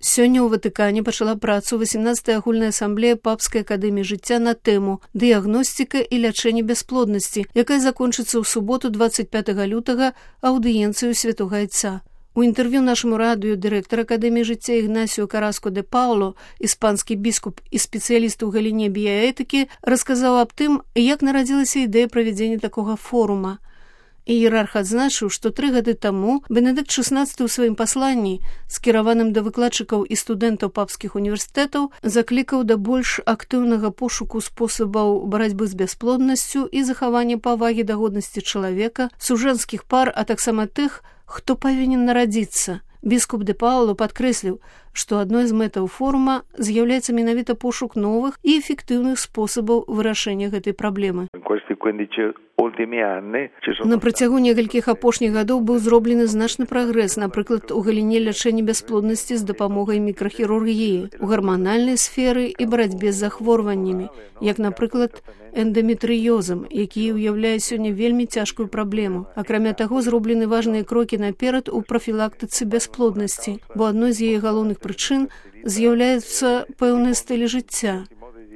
Сёння ў Ватыкане пачала працу 18-я агульная асамблея Папскай акадэміі жыцця на тэму «Дыягностика і лячэнне бясплоднасці», якая закончыцца ў суботу 25 лютага аўдыенцыю Святога Айца. У інтэрв'ю нашаму радыё дырэктар Акадэміі жыцця Ігнасіо Караско де Пауло, іспанскі біскуп і спецыяліст у галіне біяэтыкі, расказаў аб тым, як нарадзілася ідэя правядзення такога форума. Іерарх адзначыў, што 3 гады таму Бенедыкт XVI ў сваім пасланні, скіраваным да выкладчыкаў і студэнтаў папскіх універсітэтаў, заклікаў да больш актыўнага пошуку спосабаў барацьбы з бясплоднасцю і захавання павагі да годнасці чалавека, сужэнскіх пар, а таксама тых, хто павінен нарадзіцца. Біскуп де Пауло падкрэсліў, што адной з мэтаў форума з'яўляецца менавіта пошук новых і эфектыўных спосабаў вырашэння гэтай праблемы. На працягу некалькіх апошніх гадоў быў зроблены значны прагрэс, напрыклад, у галіне лячэння бясплоднасці з дапамогай мікрахірургіі, у гарманальнай сферы і барацьбе з захворваннямі, як, напрыклад, эндометрыёзам, які ўяўляе сёння вельмі цяжкую праблему. Акрамя таго, зроблены важныя крокі наперад у прафілактыцы бясплоднасці, бо адной з яе галоўных прычын з'яўляюцца пэўныя стылі жыцця.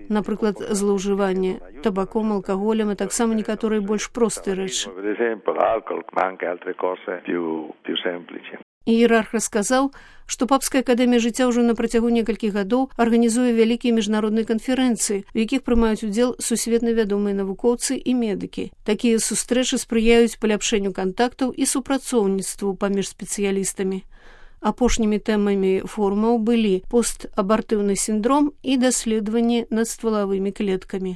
Напрыклад, злоўжыванне табаком, алкаголем, а таксама некаторыя больш простыя рэчы. Іерарх расказаў, што Папская акадэмія жыцця ўжо на працягу некалькіх гадоў арганізуе вялікія міжнародныя канферэнцыі, у якіх прымаюць удзел сусветна вядомыя навукоўцы і медыкі. Такія сустрэчы спрыяюць паляпшэнню кантактаў і супрацоўніцтву паміж спецыялістамі. Апошнімі тэмамі форумаў былі постабартыўны сіндром і даследаванні над ствалавымі клеткамі.